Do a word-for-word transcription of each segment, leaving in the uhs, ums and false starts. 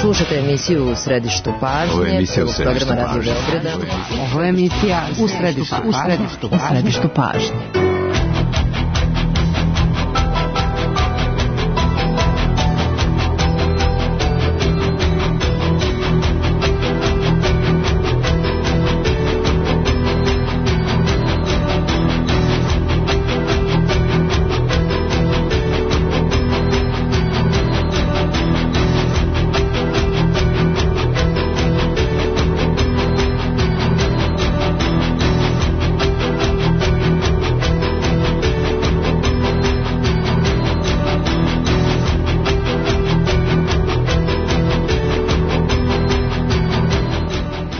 Slušate emisiju U središtu pažnje. Ovo je emisija U središtu programa Radio Beograda. Ovo je emisija U središtu, u središtu, u središtu pažnje.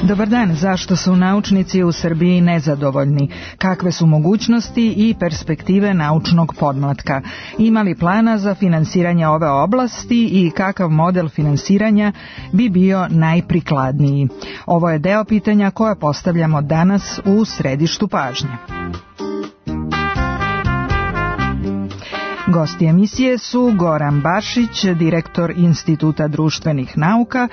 Dobar dan, zašto su naučnici u Srbiji nezadovoljni? Kakve su mogućnosti i perspektive naučnog podmlatka? Ima li plana za finansiranje ove oblasti i kakav model finansiranja bi bio najprikladniji? Ovo je deo pitanja koje postavljamo danas u središtu pažnje. Gosti emisije su Goran Bašić, direktor Instituta društvenih nauka,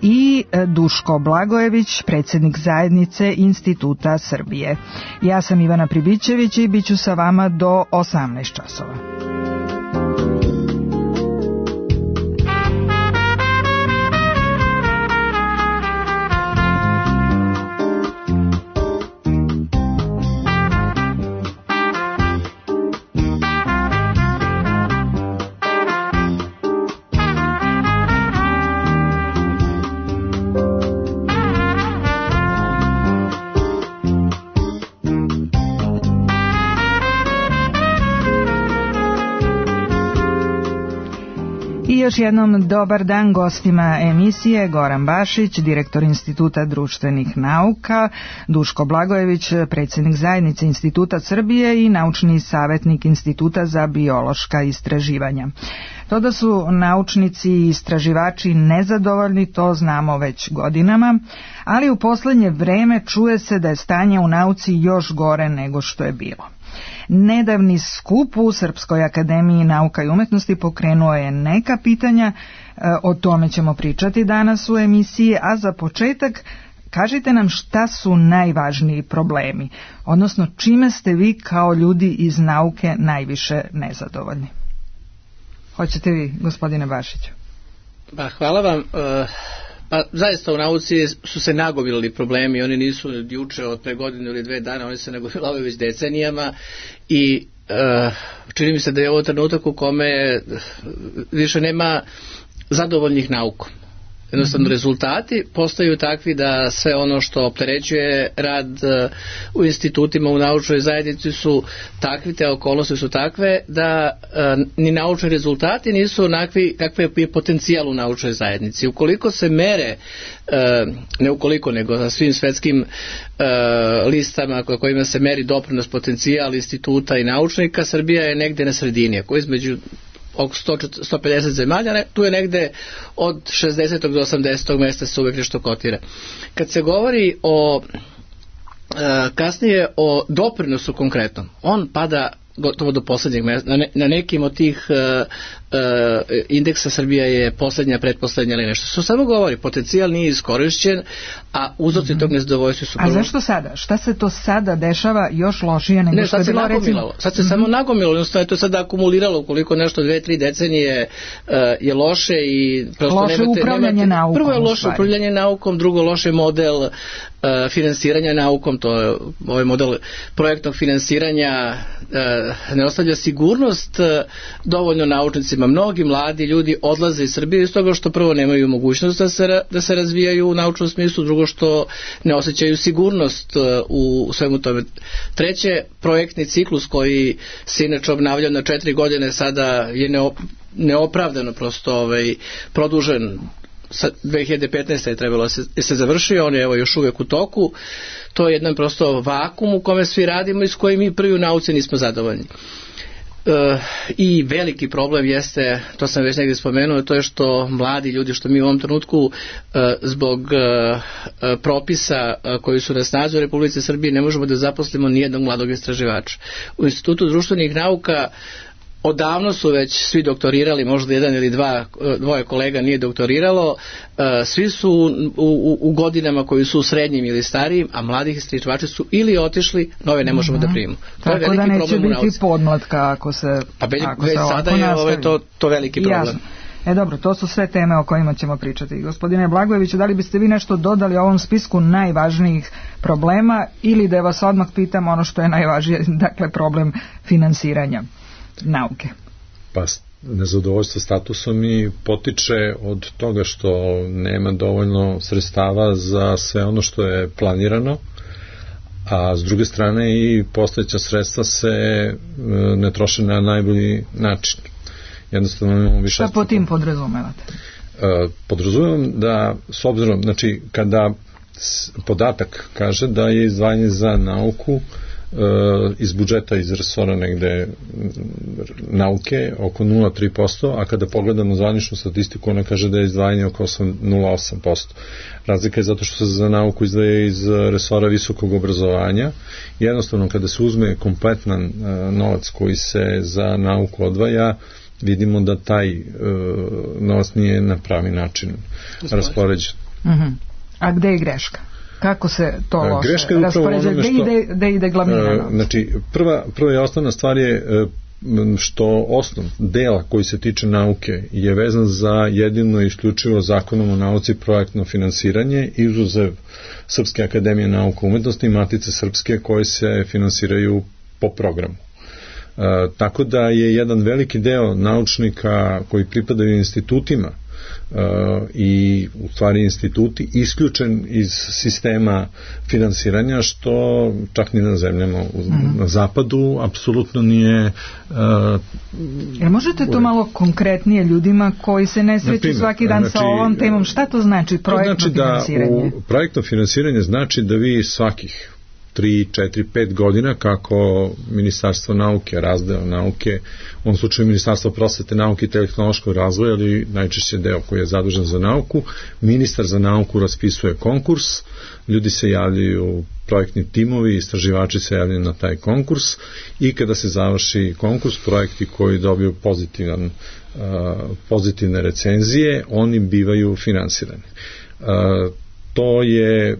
i Duško Blagojević, predsjednik zajednice Instituta Srbije. Ja sam Ivana Pribićević i bit ću sa vama do osamnaest časova. Još jednom dobar dan gostima emisije: Goran Bašić, direktor Instituta društvenih nauka, Duško Blagojević, predsjednik zajednice Instituta Srbije i naučni savjetnik Instituta za biološka istraživanja. To da su naučnici i istraživači nezadovoljni, to znamo već godinama, ali u posljednje vreme čuje se da je stanje u nauci još gore nego što je bilo. Nedavni skup u Srpskoj akademiji nauka i umetnosti pokrenuo je neka pitanja, o tome ćemo pričati danas u emisiji, a za početak kažite nam šta su najvažniji problemi, odnosno čime ste vi kao ljudi iz nauke najviše nezadovoljni. Hoćete vi, gospodine Bašiću? Pa, hvala vam. Pa zaista u nauci su se nagomilali problemi, oni nisu juče od pre godinu ili dve dana, oni se nagomilavaju već decenijama i uh, čini mi se da je ovo trenutak u kome više nema zadovoljnih naukom. Jednostavno, rezultati postaju takvi da sve ono što opterećuje rad u institutima, u naučnoj zajednici su takvi, te okolnosti su takve da ni naučni rezultati nisu onakvi kakve je potencijal u naučnoj zajednici. Ukoliko se mere, ne ukoliko nego na svim svetskim listama kojima se meri doprinos potencijal instituta i naučnika, Srbija je negde na sredini, ako između oko sto do sto pedeset zemalja, tu je negde od šezdesetog do osamdesetog mesta se uvek nešto kotira. Kad se govori o kasnije o doprinosu konkretnom, on pada gotovo do poslednjeg mesta. Na, ne, na nekim od tih uh, uh, indeksa Srbija je poslednja, pretposlednja ili nešto. Što samo govori, potencijal nije iskorišćen, a uzroci mm-hmm. tog nezadovoljstva su... A prvo... zašto sada? Šta se to sada dešava još lošije nego ne, što je bilo recimo? Sad se mm-hmm. samo nagomilalo, jednostavno je to sada akumuliralo, ukoliko nešto dve, tri decenije uh, je loše i prosto loše nemate... upravljanje nemate, naukom. Prvo je loše upravljanje naukom, drugo loše model uh, finansiranja naukom, to je ovaj model projektnog finansiranja uh, ne ostavlja sigurnost uh, dovoljno naučnicima. Mnogi mladi ljudi odlaze iz Srbije iz toga što prvo nemaju mogućnost da se, da se razvijaju u naučnom smislu, drugo što ne osjećaju sigurnost uh, u, u svemu tome. Treće, projektni ciklus koji se inače obnavlja na četiri godine sada je neop, neopravdano prosto ovaj, produžen. dve hiljade petnaeste. je trebalo se, se završio, on je evo još uvijek u toku. To je jedan prosto vakum u kome svi radimo i s kojim mi prvi u nauci nismo zadovoljni. E, I veliki problem jeste, to sam već negdje spomenuo, to je što mladi ljudi, što mi u ovom trenutku e, zbog e, propisa e, koji su na snazi u Republici Srbiji ne možemo da zaposlimo nijednog mladog istraživača. U Institutu društvenih nauka odavno su već svi doktorirali, možda jedan ili dva, dvoje kolega nije doktoriralo, svi su u, u, u godinama koji su u srednjim ili starijim, a mladih istraživači su ili otišli, nove ne možemo mm-hmm. da primimo. To Tako je veliki da neće problem biti podmlatka ako se Pa već, ako već se sada je ove, to, to veliki problem. Jasno. E dobro, to su sve teme o kojima ćemo pričati. Gospodine Blagojeviću, da li biste vi nešto dodali o ovom spisku najvažnijih problema ili da vas odmah pitam ono što je najvažnije, dakle problem finansiranja nauke? Pa nezadovoljstvo statusom i potiče od toga što nema dovoljno sredstava za sve ono što je planirano, a s druge strane i postojeća sredstva se ne troše na najbolji način. Jednostavno imamo više... Šta po tim podrazumevate? Podrazumevam da, s obzirom, znači, kada podatak kaže da je izdvajanje za nauku iz budžeta, iz resora negde nauke oko nula zarez tri posto, a kada pogledamo zvaničnu statistiku, ona kaže da je izdvajanje oko nula zarez osam posto. Razlika je zato što se za nauku izdvaja iz resora visokog obrazovanja. Jednostavno, kada se uzme kompletan novac koji se za nauku odvaja, vidimo da taj uh, novac nije na pravi način raspoređen. Uh-huh. A gde je greška? Kako se to loše greška je raspoređa? Gde ide, gde ide glavnina novca? Uh, znači, prva, prva i osnovna stvar je uh, što osnov dela koji se tiče nauke je vezan za jedino i isključivo zakonom o nauci projektno finansiranje, izuzev Srpske akademije nauka i umetnosti i Matice Srpske koje se finansiraju po programu. Uh, tako da je jedan veliki deo naučnika koji pripadaju institutima uh, i u stvari instituti isključen iz sistema finansiranja, što čak ni na zemljama u, mm-hmm. na zapadu apsolutno nije uh, Jer možete to malo konkretnije ljudima koji se ne sreću primjer, svaki dan znači, sa ovom temom, šta to znači projektno to znači finansiranje? Da u projektno finansiranje znači da vi svakih tri, četiri, pet godina kako Ministarstvo nauke, razdeo nauke, u ovom slučaju Ministarstvo prosvete, nauke i tehnološkog razvoja, ali najčešće deo koji je zadužen za nauku, ministar za nauku raspisuje konkurs, ljudi se javljaju, projektni timovi, istraživači se javljaju na taj konkurs i kada se završi konkurs, projekti koji dobiju pozitivan, uh, pozitivne recenzije, oni bivaju finansirani. Uh, To je,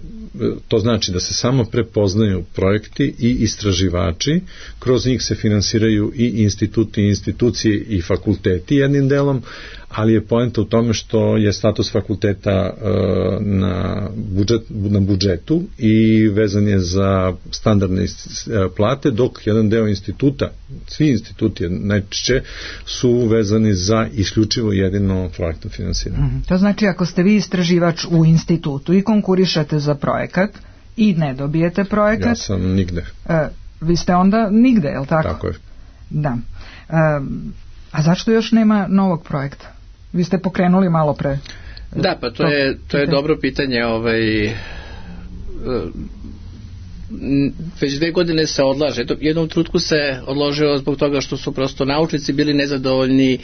to znači da se samo prepoznaju projekti i istraživači, kroz njih se finansiraju i instituti, institucije i fakulteti jednim delom, ali je poenta u tome što je status fakulteta uh, na, budžet, na budžetu i vezan je za standardne uh, plate, dok jedan deo instituta, svi instituti najčešće su vezani za isključivo jedino projektno finansiranje. Mm-hmm. To znači ako ste vi istraživač u institutu i konkurišete za projekat i ne dobijete projekat... Ja sam nigde. Uh, vi ste onda nigde, je li tako? Tako je. Da. Uh, a zašto još nema novog projekta? Vi ste pokrenuli malo pre. Da, pa to je, to je dobro pitanje. Ovaj, već dve godine se odlaže. Jednom trutku se odložio zbog toga što su prosto naučnici bili nezadovoljni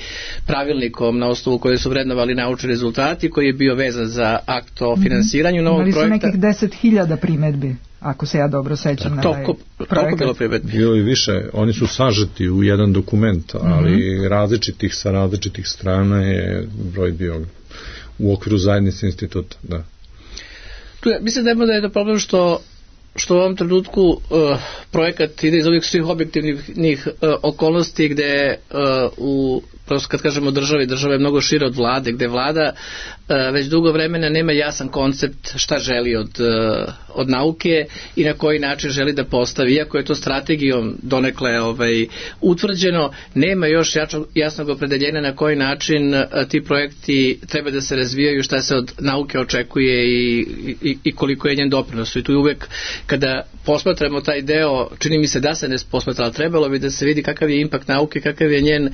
pravilnikom na osnovu koje su vrednovali naučni rezultati, koji je bio vezan za akt o finansiranju novog Imali projekta. Imali su nekih deset hiljada primedbi, ako se ja dobro sećam na taj projekat. Toliko bilo primedbi. Bilo i više. Oni su sažeti u jedan dokument, ali mm-hmm. različitih sa različitih strana je broj bio u okviru zajednice instituta. Da. Tu je, mislim da je to problem što što u ovom trenutku uh, projekat ide iz ovih svih objektivnih uh, okolnosti gde uh, u, prosto kad kažemo državi, država je mnogo šira od vlade, gde vlada uh, već dugo vremena nema jasan koncept šta želi od, uh, od nauke i na koji način želi da postavi. Iako je to strategijom donekle ovaj, utvrđeno, nema još jačog, jasnog opredeljenja na koji način uh, ti projekti treba da se razvijaju, šta se od nauke očekuje i, i, i koliko je njen doprinos. I tu je uvek kada posmatramo taj deo, čini mi se da se ne posmatra, ali trebalo bi da se vidi kakav je impakt nauke, kakav je njen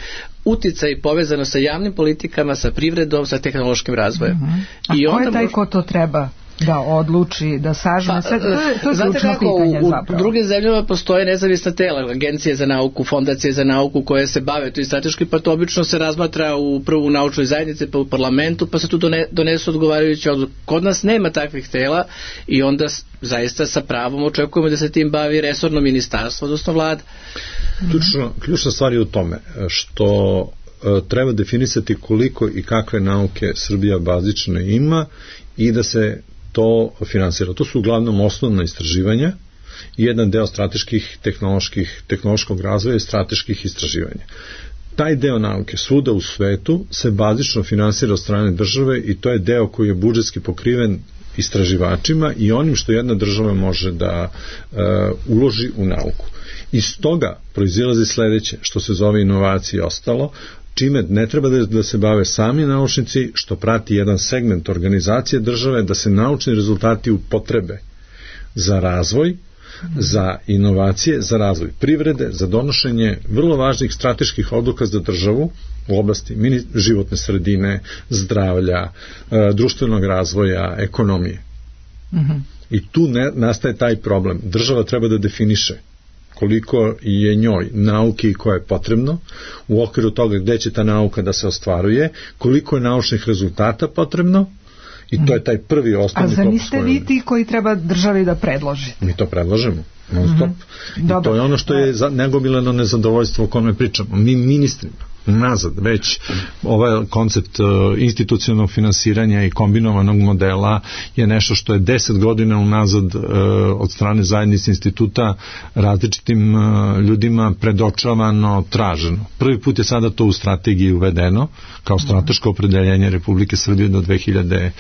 uticaj povezano sa javnim politikama, sa privredom, sa tehnološkim razvojem. Uh-huh. A I ko onda je taj ko to treba da odluči, da sažme sve, to je, to je znate ključno kako, pitanje u, zapravo. U drugim zemljama postoje nezavisna tela, agencije za nauku, fondacije za nauku koje se bave to i strateški, pa to obično se razmatra u prvu naučnoj zajednici, pa u parlamentu, pa se tu done, donesu odgovarajući odluke. Kod nas nema takvih tela i onda zaista sa pravom očekujemo da se tim bavi resorno ministarstvo, odnosno vlada. Ključno, ključna stvar je u tome što treba definisati koliko i kakve nauke Srbija bazično ima i da se to finansira. To su uglavnom osnovna istraživanja i jedan deo strateških tehnoloških, tehnološkog razvoja i strateških istraživanja. Taj deo nauke svuda u svetu se bazično finansira od strane države i to je deo koji je budžetski pokriven istraživačima i onim što jedna država može da uh, uloži u nauku. Iz toga proizilazi sledeće, što se zove inovacije i ostalo, čime ne treba da, da se bave sami naučnici, što prati jedan segment organizacije države, da se naučni rezultati upotrebe za razvoj, za inovacije, za razvoj privrede, za donošenje vrlo važnih strateških odluka za državu u oblasti životne sredine, zdravlja, društvenog razvoja, ekonomije. Mm-hmm. I tu ne, nastaje taj problem. Država treba da definiše koliko je njoj nauke i koje je potrebno, u okviru toga gde će ta nauka da se ostvaruje, koliko je naučnih rezultata potrebno, i to je taj prvi osnovni... A za niste vi ti koji treba državi da predloži? Mi to predlažemo, non stop. Mm-hmm. I to je ono što je nagomilano nezadovoljstvo o kome pričamo. Mi ministrima nazad već ovaj koncept uh, institucionalnog finansiranja i kombinovanog modela je nešto što je deset godina unazad uh, od strane zajednice instituta različitim uh, ljudima predočavano, traženo. Prvi put je sada to u strategiji uvedeno kao strateško opredeljenje Republike Srbije do dve hiljade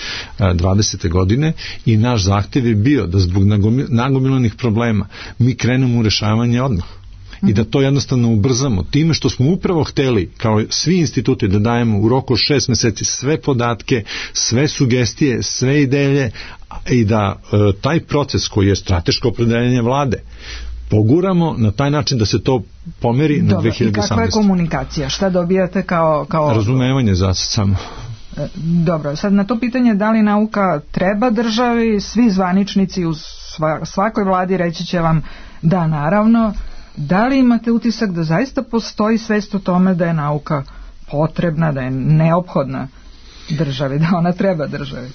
dvadesete. godine i naš zahtev je bio da zbog nagomilanih problema mi krenemo u rešavanje odmah. I da to jednostavno ubrzamo time što smo upravo hteli, kao svi instituti, da dajemo u roku šest meseci sve podatke, sve sugestije, sve ideje i da e, taj proces koji je strateško opredeljenje vlade poguramo na taj način da se to pomeri na dve hiljade osamnaeste. I kakva je komunikacija? Šta dobijate kao... kao... Razumevanje za samo. Dobro, sad na to pitanje da li nauka treba državi, svi zvaničnici u svakoj vladi reći će vam da, naravno. Da li imate utisak da zaista postoji svest o tome da je nauka potrebna, da je neophodna državi, da ona treba državi?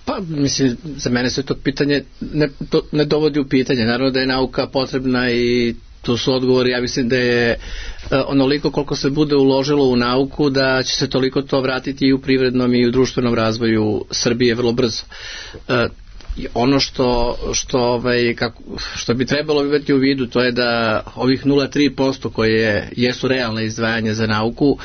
Pa, mislim, za mene se to pitanje ne, to ne dovodi u pitanje. Naravno da je nauka potrebna i tu su odgovori, ja mislim da je onoliko koliko se bude uložilo u nauku, da će se toliko to vratiti i u privrednom i u društvenom razvoju Srbije vrlo brzo. Ono što što ovaj kako što bi trebalo imati u vidu, to je da ovih nula zarez tri posto koje jesu realne izdvajanja za nauku uh,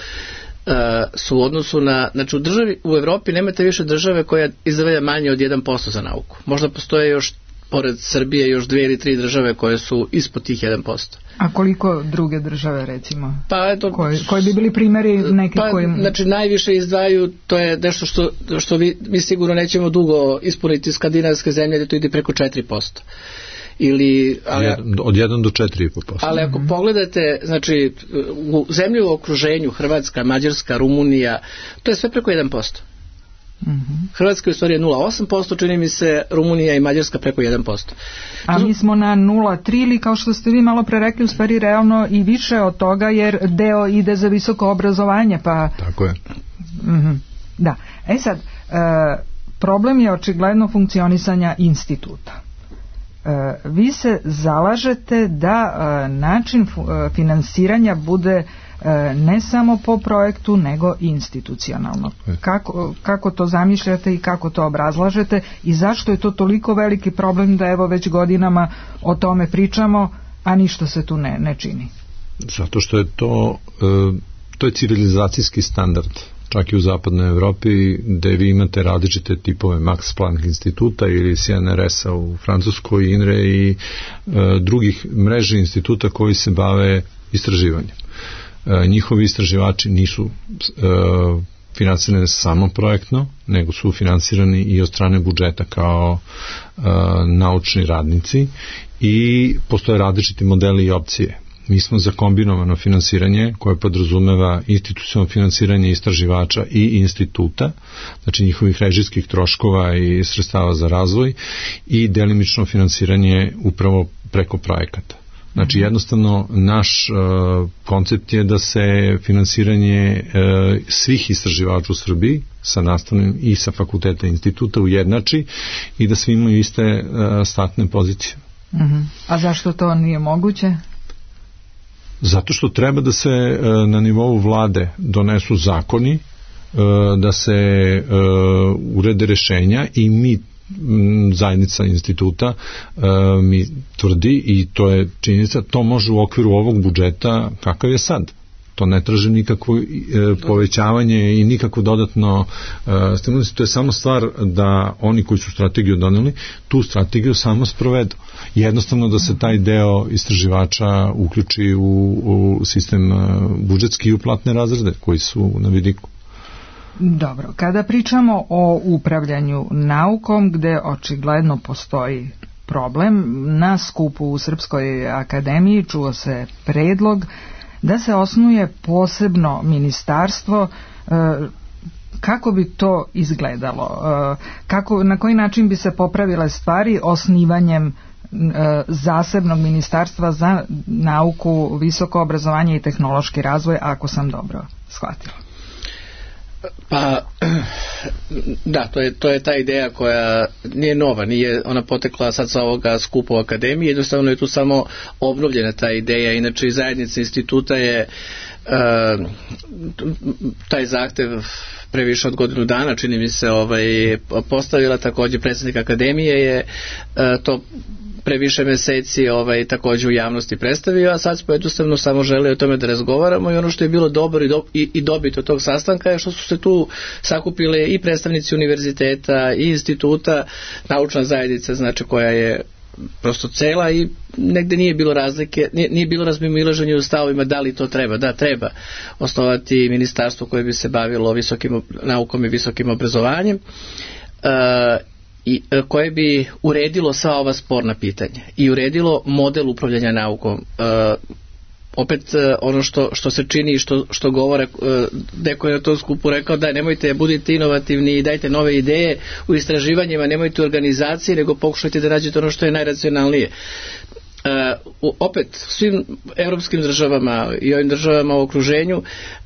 su u odnosu na, znači u državi, u Evropi nemate više države koja izdvaja manje od jedan posto za nauku. Možda postoje još pored Srbije još dve ili tri države koje su ispod tih jedan posto. A koliko druge države, recimo? Pa eto, koji, koji bi bili primjeri neki pa, kojim... Znači najviše izdvaju, to je nešto što, što vi, mi sigurno nećemo dugo ispuniti skandinavske zemlje, da to ide preko četiri posto. Ili, ali, od jedan do četiri i po posto. Ali ako mm-hmm. pogledate, znači u zemlji u okruženju, Hrvatska, Mađarska, Rumunija, to je sve preko jedan posto. Mm-hmm. Hrvatska je u stvari nula zarez osam posto, čini mi se, Rumunija i Mađarska preko jedan posto. A mi smo na nula zarez tri ili kao što ste vi malo pre rekli, u stvari realno i više od toga, jer deo ide za visoko obrazovanje, pa... Tako je. Mm-hmm. Da. E sad, e, problem je očigledno funkcionisanja instituta. E, vi se zalažete da e, način fu, e, finansiranja bude ne samo po projektu, nego institucionalno. Kako, kako to zamišljate i kako to obrazlažete i zašto je to toliko veliki problem da evo već godinama o tome pričamo, a ništa se tu ne, ne čini? Zato što je to to je civilizacijski standard, čak i u zapadnoj Evropi, gde vi imate različite tipove Max Planck instituta ili C N R S-a u Francuskoj, I N R E i e, drugih mreže instituta koji se bave istraživanjem. Njihovi istraživači nisu uh, finansirani samo projektno, nego su finansirani i od strane budžeta kao uh, naučni radnici i postoje različiti modeli i opcije. mi smo za kombinovano finansiranje koje podrazumeva institucionalno finansiranje istraživača i instituta, znači njihovih režijskih troškova i sredstava za razvoj i delimično finansiranje upravo preko projekata. Znači jednostavno naš uh, koncept je da se finansiranje uh, svih istraživača u Srbiji sa nastavnim i sa fakulteta instituta ujednači i da svi imaju iste uh, startne pozicije. Uh-huh. A zašto to nije moguće? Zato što treba da se uh, na nivou vlade donesu zakoni, uh, da se uh, urede rešenja i mi zajednica instituta uh, mi tvrdi i to je činjenica, to može u okviru ovog budžeta kakav je sad. To ne traži nikakvo uh, povećavanje i nikakvo dodatno uh, stimulaciju. To je samo stvar da oni koji su strategiju doneli, tu strategiju samo sprovedu. Jednostavno da se taj deo istraživača uključi u, u sistem uh, budžetski i u platne razrede koji su na vidiku. Dobro, kada pričamo o upravljanju naukom, gde očigledno postoji problem, na skupu u Srpskoj akademiji čuo se predlog da se osnuje posebno ministarstvo. Kako bi to izgledalo? Kako, na koji način bi se popravile stvari osnivanjem zasebnog ministarstva za nauku, visoko obrazovanje i tehnološki razvoj, ako sam dobro shvatila? Pa, da, to je, to je ta ideja koja nije nova, nije ona potekla sad sa ovoga skupa u akademiji, jednostavno je tu samo obnovljena ta ideja, inače i zajednica instituta je uh, taj zahtev previše od godinu dana, čini mi se, ovaj, postavila, također predsjednik akademije je uh, to previše meseci ovaj, također u javnosti predstavio, a sad smo jednostavno samo želi o tome da razgovaramo i ono što je bilo dobro i, do, i, i dobit od tog sastanka je što su se tu sakupile i predstavnici univerziteta i instituta, naučna zajednica, znači koja je prosto cela i negde nije bilo razlike, nije, nije bilo razmimoilaženja u stavovima da li to treba. Da, treba osnovati ministarstvo koje bi se bavilo visokim naukom i visokim obrazovanjem. Uh, i koje bi uredilo sva ova sporna pitanja i uredilo model upravljanja naukom. E, opet e, ono što, što se čini i što, što govore, e, neko je na tom skupu rekao da nemojte, budite inovativni i dajte nove ideje u istraživanjima, nemojte u organizaciji, nego pokušajte da nađete ono što je najracionalnije. Uh, opet svim evropskim državama i ovim državama u okruženju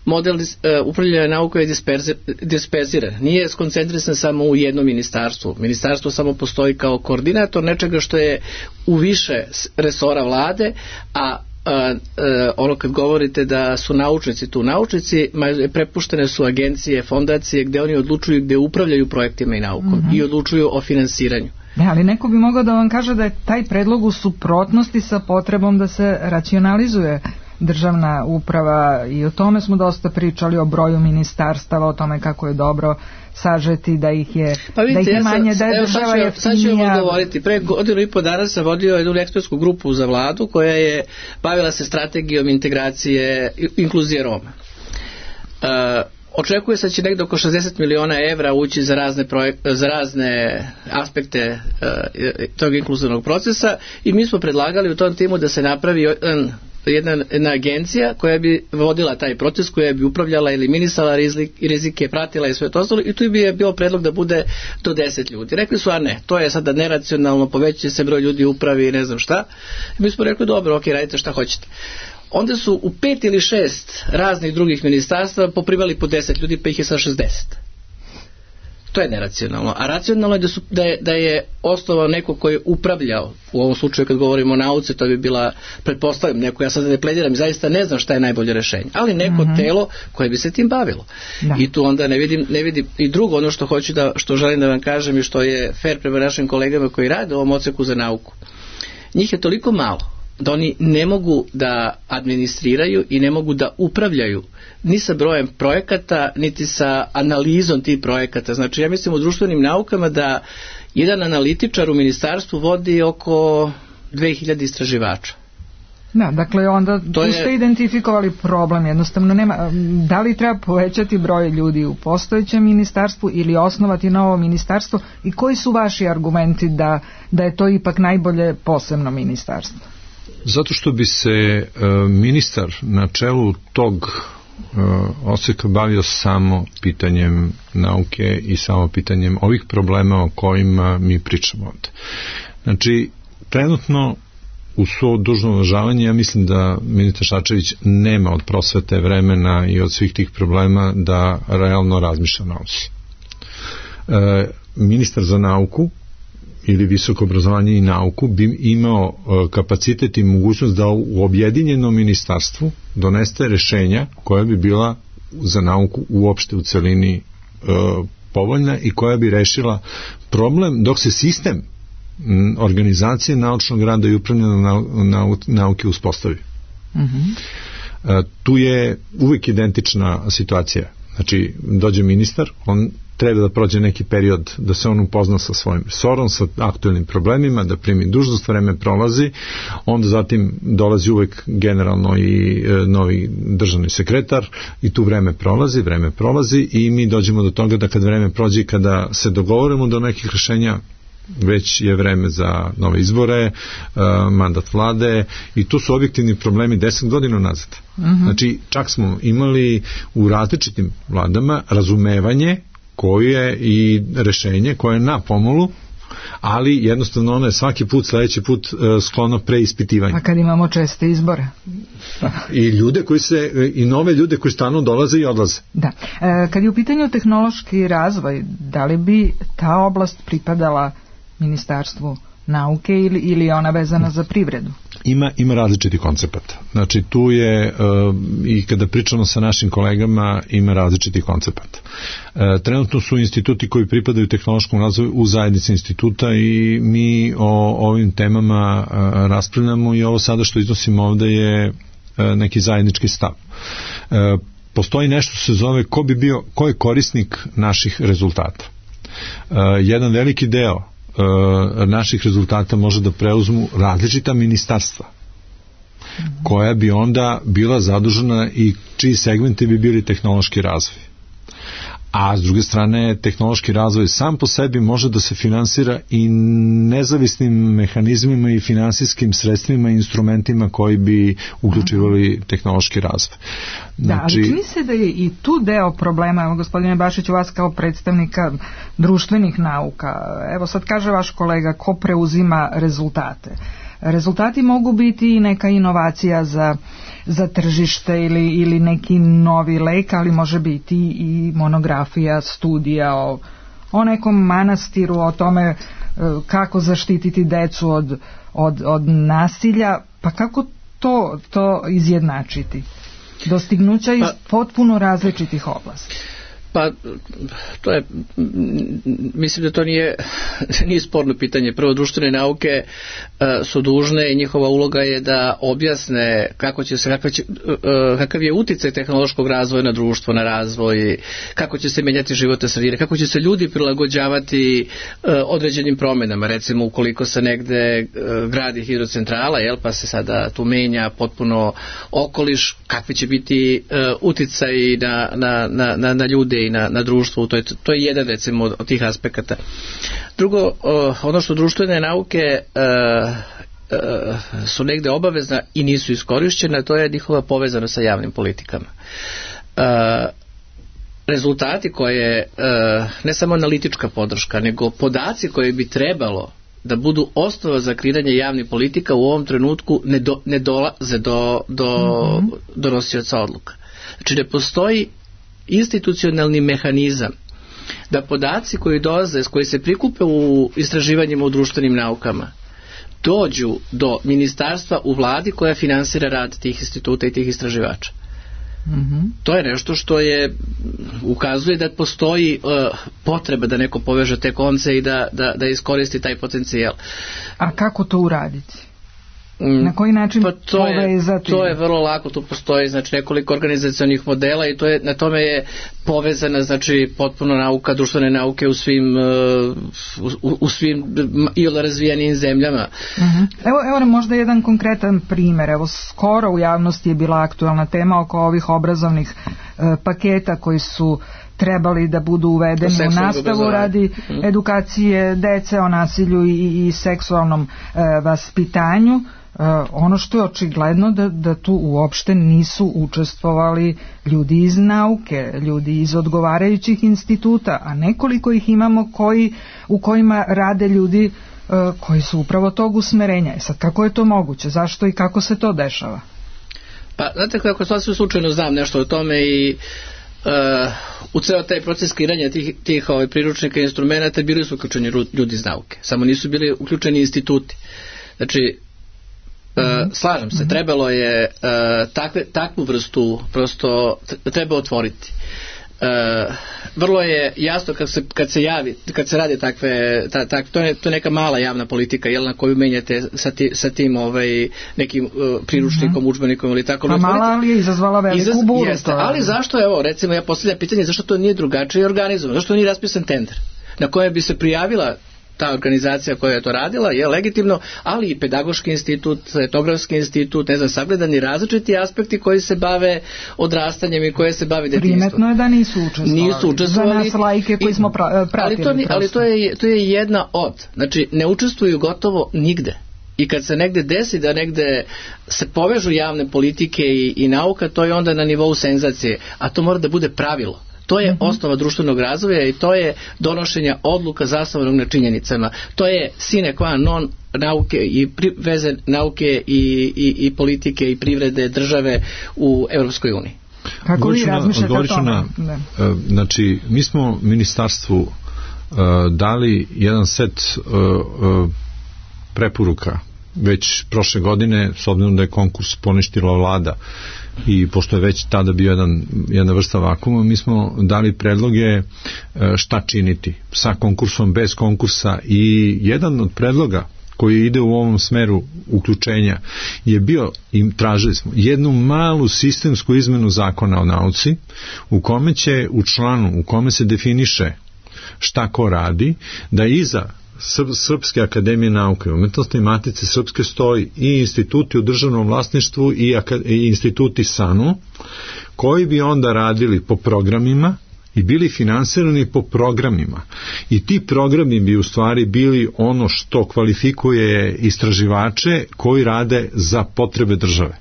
model uh, upravljanja nauke je disperzi, disperziran, nije skoncentrisan samo u jednom ministarstvu. Ministarstvo samo postoji kao koordinator nečega što je u više resora vlade, a Uh, uh, ono kad govorite da su naučnici tu, naučnici prepuštene su agencije, fondacije gde oni odlučuju, gde upravljaju projektima i naukom, mm-hmm. i odlučuju o finansiranju. Ne, ali neko bi mogao da vam kaže da je taj predlog u suprotnosti sa potrebom da se racionalizuje državna uprava i o tome smo dosta pričali, o broju ministarstava, o tome kako je dobro sažeti, da ih je, pa vidite, da ih je manje, da je evo, država jeftinija. Sad ću vam odgovoriti. Pre godinu i po dana sam vodio jednu ekspertsku grupu za vladu koja je bavila se strategijom integracije inkluzije Roma. Uh, Očekuje se da će negdje oko šezdeset miliona evra ući za razne, projek- za razne aspekte uh, tog inkluzivnog procesa i mi smo predlagali u tom timu da se napravi jedan Jedna, jedna agencija koja bi vodila taj proces, koja bi upravljala, eliminisala rizik, rizike, pratila i sve to ostalo i tu bi je bio predlog da bude do deset ljudi. Rekli su, a ne, to je sada neracionalno, povećuje se broj ljudi u upravi i ne znam šta. I mi smo rekli, dobro, ok, radite šta hoćete. Onda su u pet ili šest raznih drugih ministarstva poprivali po deset ljudi, pa ih je sa šezdeset. To je neracionalno. A racionalno je da, su, da, je, da je osnovao neko koji je upravljao, u ovom slučaju kad govorimo o nauci, to bi bila, pretpostavljam, neko, ja sad ne plediram, zaista ne znam šta je najbolje rešenje, ali neko mm-hmm. telo koje bi se tim bavilo. Da. I tu onda ne vidim, ne vidim, i drugo ono što hoću da, što želim da vam kažem i što je fair prema našim kolegama koji rade u ovom odseku za nauku. Njih je toliko malo da oni ne mogu da administriraju i ne mogu da upravljaju ni sa brojem projekata, niti sa analizom tih projekata. Znači, ja mislim u društvenim naukama da jedan analitičar u ministarstvu vodi oko dve hiljade istraživača. Da, dakle onda tu je... ste identifikovali problem, jednostavno nema, da li treba povećati broj ljudi u postojećem ministarstvu ili osnovati novo ministarstvo i koji su vaši argumenti da, da je to ipak najbolje posebno ministarstvo? Zato što bi se e, ministar na čelu tog e, odseka bavio samo pitanjem nauke i samo pitanjem ovih problema o kojima mi pričamo ovde. Znači, trenutno u svo dužno uvažavanje, ja mislim da ministar Šarčević nema od prosvete vremena i od svih tih problema da realno razmišlja o nauci. E, ministar za nauku ili visoko obrazovanje i nauku bi imao kapacitet i mogućnost da u objedinjenom ministarstvu doneste rešenja koja bi bila za nauku uopšte u celini e, povoljna i koja bi rešila problem dok se sistem organizacije naučnog rada i upravljanja nau, nau, nauke uspostavi. Mm-hmm. E, tu je uvijek identična situacija. Znači, dođe ministar, on treba da prođe neki period da se on upozna sa svojim resorom, sa aktuelnim problemima, da primi dužnost, vreme prolazi, onda zatim dolazi uvek generalno i e, novi državni sekretar i tu vreme prolazi, vreme prolazi i mi dođemo do toga da kad vreme prođe i kada se dogovorimo do nekih rešenja, već je vreme za nove izbore, uh, mandat vlade i tu su objektivni problemi deset godina nazad. Mm-hmm. Znači, čak smo imali u različitim vladama razumevanje koje i rešenje koje je na pomolu, ali jednostavno ono je svaki put, sledeći put uh, sklono preispitivanje. A kad imamo česte izbore? I ljude koji se, i nove ljude koji stalno dolaze i odlaze. Da. E, kad je u pitanju tehnološki razvoj, da li bi ta oblast pripadala Ministarstvu nauke ili, ili je ona vezana za privredu? Ima, ima različiti koncepata. Znači tu je uh, i kada pričamo sa našim kolegama ima različiti koncepata. Uh, trenutno su instituti koji pripadaju tehnološkom razvoju u zajednici instituta i mi o ovim temama uh, raspravljamo i ovo sada što iznosimo ovde je uh, neki zajednički stav. Uh, postoji nešto se zove ko bi bio, ko je korisnik naših rezultata. Uh, jedan veliki deo naših rezultata može da preuzmu različita ministarstva koja bi onda bila zadužena i čiji segmenti bi bili tehnološki razvoj. A s druge strane, tehnološki razvoj sam po sebi može da se finansira i nezavisnim mehanizmima i finansijskim sredstvima i instrumentima koji bi uključivali tehnološki razvoj. Znači, da, ali čini se da je i tu deo problema, evo gospodine Bašiću, vas kao predstavnika društvenih nauka, evo sad kaže vaš kolega, ko preuzima rezultate? Rezultati mogu biti i neka inovacija za, za tržište ili, ili neki novi lek, ali može biti i monografija, studija o, o nekom manastiru, o tome kako zaštititi decu od, od, od nasilja, pa kako to, to izjednačiti? Dostignuća iz potpuno različitih oblasti. Pa, to je, mislim da to nije, nije sporno pitanje. Prvo, društvene nauke uh, su dužne i njihova uloga je da objasne kako će se, kakav, će, uh, kakav je uticaj tehnološkog razvoja na društvo, na razvoj, kako će se menjati životne sredine, kako će se ljudi prilagođavati uh, određenim promenama. Recimo, ukoliko se negde uh, gradi hidrocentrala, jel, pa se sada tu menja potpuno okoliš, kakvi će biti uh, uticaj na, na, na, na, na ljude i na, na društvu, to je, to je jedan recimo od, od tih aspekata. Drugo, uh, ono što društvene nauke uh, uh, su negde obavezna i nisu iskorišćena, to je njihova povezanost sa javnim politikama. Uh, rezultati koje, uh, ne samo analitička podrška, nego podaci koje bi trebalo da budu osnova za kreiranje javnih politika u ovom trenutku ne, do, ne dolaze do, do mm-hmm. donosioca odluka. Znači ne postoji institucionalni mehanizam da podaci koji dolaze, koji se prikupe u istraživanjima u društvenim naukama, dođu do ministarstva u vladi koja finansira rad tih instituta i tih istraživača. Mm-hmm. To je nešto što je ukazuje da postoji uh, potreba da neko poveže te konce i da, da, da iskoristi taj potencijal. A kako to uraditi? Na koji način pa to povezati? Je, to je vrlo lako, tu postoji znači nekoliko organizacionih modela i to je, na tome je povezana znači potpuno nauka, društvene nauke u svim u, u svim ili razvijenim zemljama. Uh-huh. Evo, evo možda jedan konkretan primjer. Evo skoro u javnosti je bila aktualna tema oko ovih obrazovnih uh, paketa koji su trebali da budu uvedeni u nastavu radi edukacije dece o nasilju i, i seksualnom uh, vaspitanju. ono što je očigledno da, da tu uopšte nisu učestvovali ljudi iz nauke, ljudi iz odgovarajućih instituta, a nekoliko ih imamo koji, u kojima rade ljudi koji su upravo tog usmerenja. Sad, kako je to moguće? Zašto i kako se to dešava? Pa, znate kako, sasvim slučajno znam nešto o tome i uh, u ceo taj proces kreiranja tih, tih ovaj, priručnika i instrumenta bili su uključeni ljudi iz nauke, samo nisu bili uključeni instituti. Znači, uh, mm-hmm. slažem se, trebalo je uh, takve, takvu vrstu prosto treba otvoriti. Uh, vrlo je jasno kad se, kad se javi, kad se radi takve, ta, ta, to, je, to je neka mala javna politika, jel, na koju menjate sa, ti, sa tim ovaj, nekim uh, priručnikom, mm-hmm. udžbenikom ili tako. Pa mala, ali je izazvala veliku Izaz, buru. Jeste, ali zašto, evo, recimo, ja postavljam pitanje, zašto to nije drugačije organizovano, zašto nije raspisan tender na koje bi se prijavila ta organizacija koja je to radila, je legitimno, ali i pedagoški institut, etnografski institut, ne znam, sagledani različiti aspekti koji se bave odrastanjem i koje se bave detinjstvom. Primetno je da nisu učestvovali. Nisu učestvovali. Za nas lajke koji smo pra, pratili. Ali, to, ali to, je, to je jedna od. Znači, ne učestvuju gotovo nigde. I kad se negde desi da negde se povežu javne politike i, i nauka, to je onda na nivou senzacije. A to mora da bude pravilo. To je mm-hmm. osnova društvenog razvoja i to je donošenja odluka zasnovanog na činjenicama. To je sine qua non nauke i pri, veze nauke i, i, i politike i privrede države u Europskoj uniji. Kako vi razmišljate o tome? Na, znači, mi smo ministarstvu uh, dali jedan set uh, uh, preporuka već prošle godine, s obzirom da je konkurs poništila vlada i pošto je već tada bio jedan, jedna vrsta vakuma, mi smo dali predloge šta činiti sa konkursom, bez konkursa, i jedan od predloga koji ide u ovom smeru uključenja je bio, i tražili smo jednu malu sistemsku izmenu zakona o nauci, u kome će u članu, u kome se definiše šta ko radi, da iza Srpske akademije nauke i umetnosti i Matice Srpske stoji i instituti u državnom vlasništvu i, i instituti S A N U, koji bi onda radili po programima i bili finansirani po programima. I ti programi bi u stvari bili ono što kvalifikuje istraživače koji rade za potrebe države.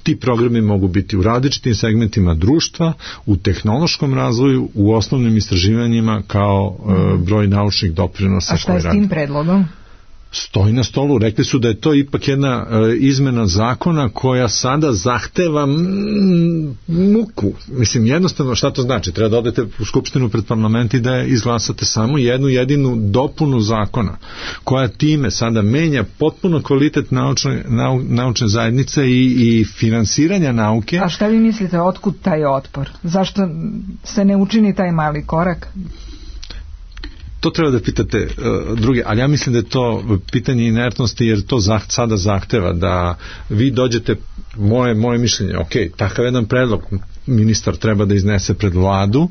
Ti programi mogu biti u različitim segmentima društva, u tehnološkom razvoju, u osnovnim istraživanjima kao e, broj naučnih doprinosa. A šta je s tim predlogom? Stoji na stolu. Rekli su da je to ipak jedna e, izmena zakona koja sada zahteva mm, muku. Mislim, jednostavno, šta to znači? Treba da odete u skupštinu pred parlament i da izglasate samo jednu jedinu dopunu zakona, koja time sada menja potpuno kvalitet naučne, nau, naučne zajednice i, i finansiranja nauke. A šta vi mislite, otkud taj otpor? Zašto se ne učini taj mali korak? To treba da pitate uh, druge, ali ja mislim da je to pitanje inertnosti, jer to zah, sada zahteva da vi dođete, moje, moje mišljenje, ok, takav jedan predlog ministar treba da iznese pred vladu,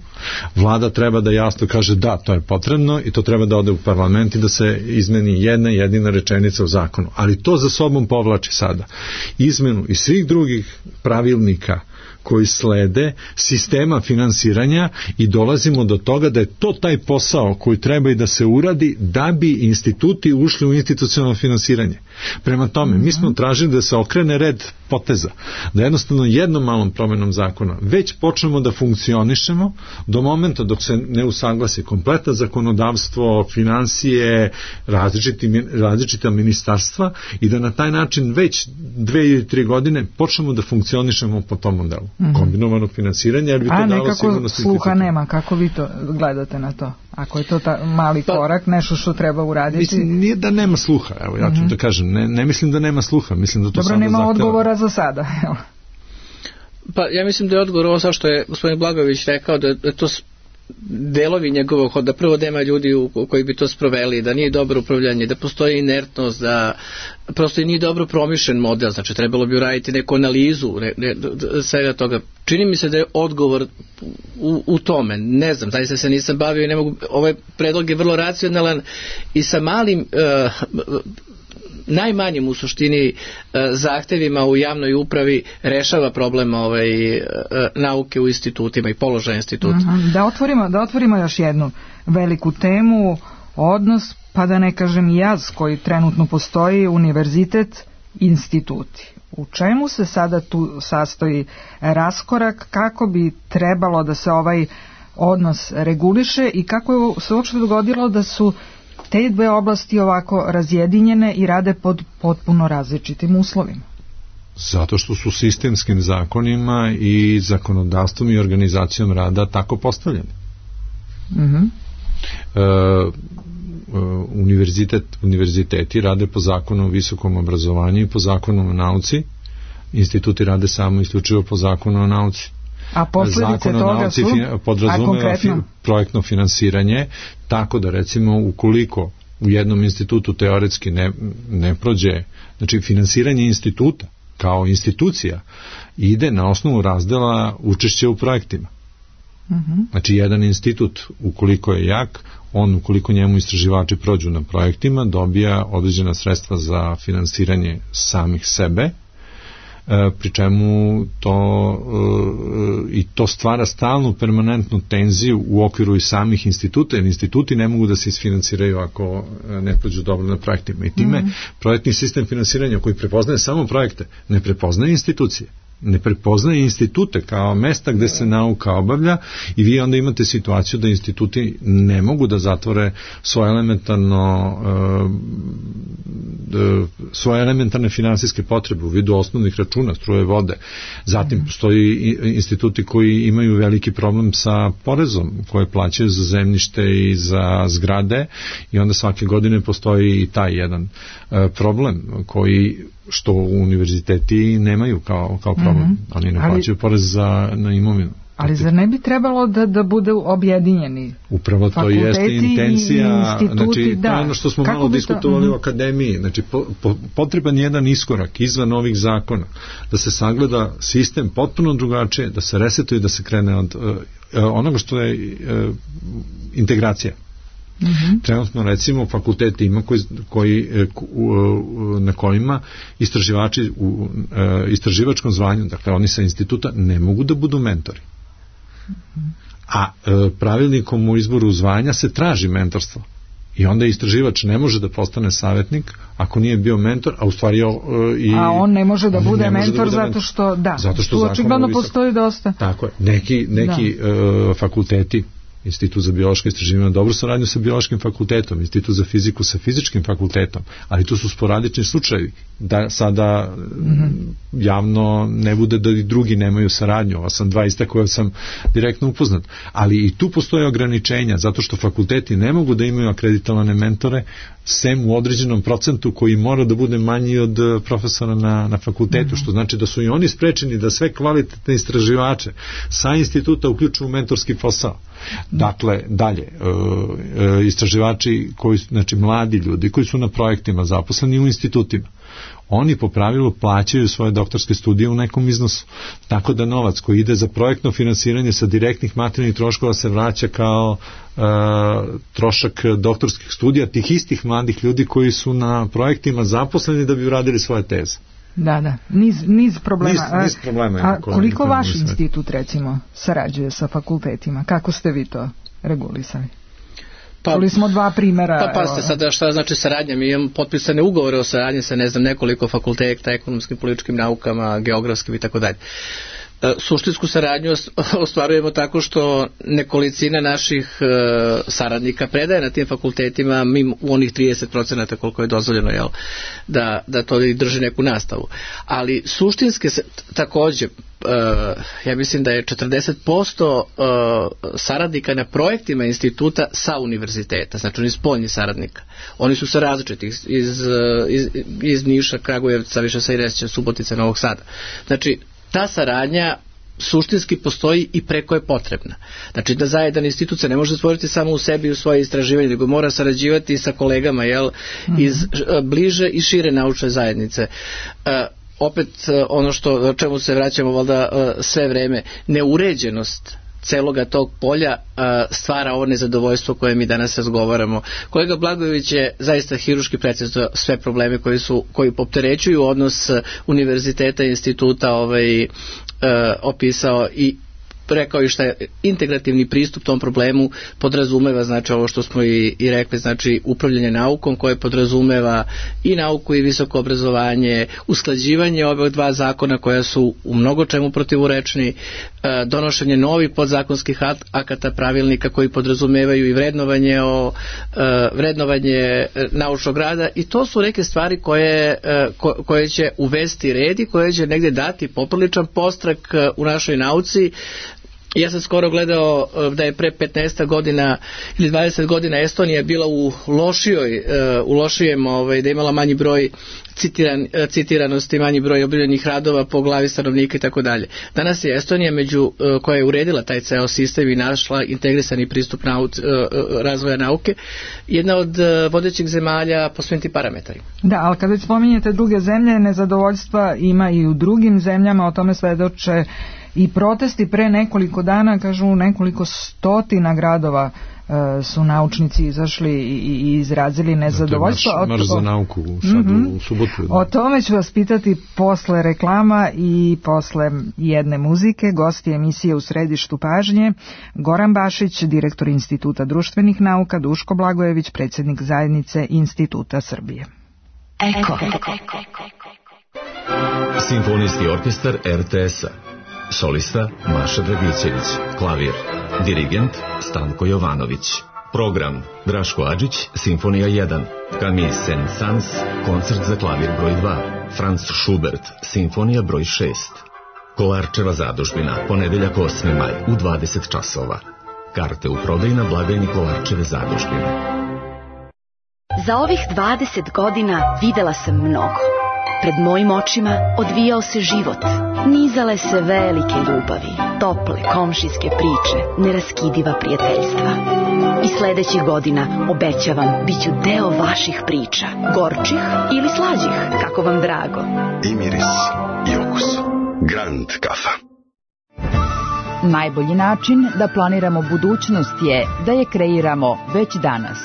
vlada treba da jasno kaže da, to je potrebno i to treba da ode u parlament i da se izmeni jedna jedina rečenica u zakonu, ali to za sobom povlači sada izmenu i svih drugih pravilnika koji slede, sistema finansiranja, i dolazimo do toga da je to taj posao koji treba i da se uradi da bi instituti ušli u institucionalno finansiranje. Prema tome, mi smo tražili da se okrene red poteza, da jednostavno jednom malom promenom zakona već počnemo da funkcionišemo do momenta dok se ne usaglasi kompletno zakonodavstvo, finansije, različiti, različita ministarstva, i da na taj način već dve ili tri godine počnemo da funkcionišemo po tom modelu. Mm-hmm. Kombinovanog finansiranja, jer bi to A dalo nekako sigurnost sluha nema, kako vi to gledate na to? Ako je to ta mali pa, korak, nešto što treba uraditi? Mislim, nije da nema sluha, evo, ja ću mm-hmm. da kažem, ne, ne mislim da nema sluha, mislim da to Dobro, samo nema zahteva. odgovora za sada, evo. Pa ja mislim da je odgovor ovo sa što je gospodin Blagojević rekao, da je to delovi njegovog hoda, prvo da ima ljudi u, u koji bi to sproveli, da nije dobro upravljanje, da postoji inertnost, da prosto i nije dobro promišljen model, znači trebalo bi uraditi neku analizu ne, ne, svega toga. Čini mi se da je odgovor u, u tome, ne znam, zaista se nisam bavio i ne mogu, ovaj predlog je vrlo racionalan i sa malim uh, najmanjim u suštini zahtevima u javnoj upravi rešava problem ovaj, nauke u institutima i položaja instituta. Aha, da otvorimo, da otvorimo još jednu veliku temu, odnos, pa da ne kažem jaz koji trenutno postoji, univerzitet instituti. U čemu se sada tu sastoji raskorak, kako bi trebalo da se ovaj odnos reguliše i kako je se uopšte dogodilo da su te dve oblasti ovako razjedinjene i rade pod potpuno različitim uslovima? Zato što su sistemskim zakonima i zakonodavstvom i organizacijom rada tako postavljeni. Mhm. E, univerzitet, univerziteti rade po zakonu o visokom obrazovanju i po zakonu o nauci, instituti rade samo isključivo po zakonu o nauci. A posledice toga su? Podrazumeva fi, projektno finansiranje, tako da recimo ukoliko u jednom institutu teoretski ne, ne prođe, znači finansiranje instituta kao institucija ide na osnovu razdela učešća u projektima. Uh-huh. Znači jedan institut ukoliko je jak, on ukoliko njemu istraživači prođu na projektima dobija određena sredstva za finansiranje samih sebe, pri čemu to i to stvara stalnu permanentnu tenziju u okviru i samih instituta, jer instituti ne mogu da se isfinansiraju ako ne prođu dobro na projektima. I time mm. projektni sistem finansiranja koji prepoznaje samo projekte, ne prepoznaje institucije, ne prepoznaje institute kao mesta gde se nauka obavlja i vi onda imate situaciju da instituti ne mogu da zatvore svoje elementarno svoje elementarne finansijske potrebe u vidu osnovnih računa, struje, vode. Zatim postoji instituti koji imaju veliki problem sa porezom koje plaćaju za zemljište i za zgrade i onda svake godine postoji i taj jedan problem koji što univerziteti nemaju kao, kao problem. Mm-hmm. Oni ne plaćaju porez za, na imovinu. Ali zar ne bi trebalo da, da bude objedinjeni upravo to jeste intencija, znači da. To je ono što smo Kako malo diskutovali to? u akademiji, znači po, po, potreban jedan iskorak izvan ovih zakona, da se sagleda sistem potpuno drugačije, da se resetuje, da se krene od uh, onoga što je uh, integracija. Mm-hmm. Trenutno recimo fakulteti ima koji, koji, na kojima istraživači u istraživačkom zvanju, dakle oni sa instituta ne mogu da budu mentori. A pravilnikom u izboru zvanja se traži mentorstvo. I onda istraživač ne može da postane savjetnik ako nije bio mentor, a u stvari i a on ne može da bude mentor da bude zato što da, zato što tu očigledno postoji dosta. Tako je. Neki, neki da. uh, fakulteti, Institut za biološko istraživanje dobro saradnju sa biološkim fakultetom, Institut za fiziku sa fizičkim fakultetom, ali tu su sporadični slučajevi da sada mm-hmm. javno ne bude da i drugi nemaju saradnju. Ova sam dva ista koja sam direktno upoznat. Ali i tu postoje ograničenja, zato što fakulteti ne mogu da imaju akreditovane mentore sem u određenom procentu koji mora da bude manji od profesora na, na fakultetu, mm-hmm. što znači da su i oni sprečeni da sve kvalitetne istraživače sa instituta uključuju u mentorski posao. Dakle, dalje, e, e, istraživači koji, znači mladi ljudi koji su na projektima zaposleni u institutima, oni po pravilu plaćaju svoje doktorske studije u nekom iznosu, tako da novac koji ide za projektno finansiranje sa direktnih materijalnih troškova se vraća kao e, trošak doktorskih studija tih istih mladih ljudi koji su na projektima zaposleni da bi uradili svoje teze. Da, da, niz, niz problema. Niz, niz problema. A, a koliko vaš institut, recimo, sarađuje sa fakultetima? Kako ste vi to regulisali? Pa, čuli smo dva primera. Pa pazite sada šta znači saradnja. Mi imamo potpisane ugovore o saradnji sa ne znam nekoliko fakulteta, ekonomskim, političkim naukama, geografskim i tako dalje. Suštinsku saradnju ostvarujemo tako što nekolicina naših e, saradnika predaje na tim fakultetima mimo onih trideset procenata koliko je dozvoljeno, jel, da, da to drži neku nastavu. Ali suštinske se, takođe, e, ja mislim da je četrdeset posto e, saradnika na projektima instituta sa univerziteta, znači oni spoljni saradnika. Oni su sa različitih, iz, iz, iz Niša, Kragujevca, više sa Iresća, Subotica, Novog Sada. Znači, ta saradnja suštinski postoji i preko je potrebna. Znači da zajedan institut se ne može stvoriti samo u sebi i u svoje istraživanje, nego mora sarađivati sa kolegama, jel, mm-hmm. iz bliže i šire naučne zajednice. Uh, opet ono što, čemu se vraćamo valjda uh, sve vreme, neuređenost celoga tog polja uh, stvara ovo nezadovoljstvo koje mi danas razgovaramo. Kolega Blagojević je zaista hiruški precizno sve probleme koji su, koji opterećuju odnos univerziteta i instituta ovaj, uh, opisao i rekao i šta je integrativni pristup tom problemu podrazumeva, znači ovo što smo i, i rekli, znači upravljanje naukom koje podrazumeva i nauku i visoko obrazovanje, usklađivanje ove dva zakona koja su u mnogo čemu protivurečni, donošenje novih podzakonskih akata, pravilnika koji podrazumevaju i vrednovanje o vrednovanje naučnog rada, i to su neke stvari koje, koje će uvesti red i koje će negdje dati popriličan podstrek u našoj nauci. Ja sam skoro gledao da je pre petnaest godina ili dvadeset godina Estonija bila u lošijoj, u lošijem, ovaj, da je imala manji broj citiran, citiranosti, manji broj objavljenih radova po glavi stanovnika i tako dalje. Danas je Estonija među koja je uredila taj ceo sistem i našla integrisani pristup nauc, razvoja nauke, jedna od vodećih zemalja po svim tim parametrima. Da, ali kad već spominjete druge zemlje, nezadovoljstva ima i u drugim zemljama, o tome svedoče i protesti pre nekoliko dana, kažu nekoliko stotina gradova e, su naučnici izašli i, i izrazili nezadovoljstvo. Marš, marš za nauku sad mm-hmm. u, u subotu. Da. O tome ću vas pitati posle reklama i posle jedne muzike. Gosti emisije U središtu pažnje: Goran Bašić, direktor Instituta društvenih nauka, Duško Blagojević, predsjednik zajednice Instituta Srbije. Eko. Simfonijski orkestar er te es-a. Solista Maša Dragićević, klavir, dirigent Stanko Jovanović. Program Draško Adžić, Simfonija jedan, Camille Saint-Saëns, koncert za klavir broj dva, Franz Schubert, Simfonija broj šest. Kolarčeva zadužbina, ponedeljak osmi maj u dvadeset časova. Karte u prodaju na blagajni Kolarčeve zadužbine. Za ovih dvadeset godina videla sam mnogo. Pred mojim očima odvijao se život. Nizale se velike ljubavi, tople komšijske priče, neraskidiva prijateljstva. I sledećih godina, obećavam, bit ću deo vaših priča. Gorčih ili slađih, kako vam drago. I miris, i okus. Grand kafa. Najbolji način da planiramo budućnost je da je kreiramo već danas.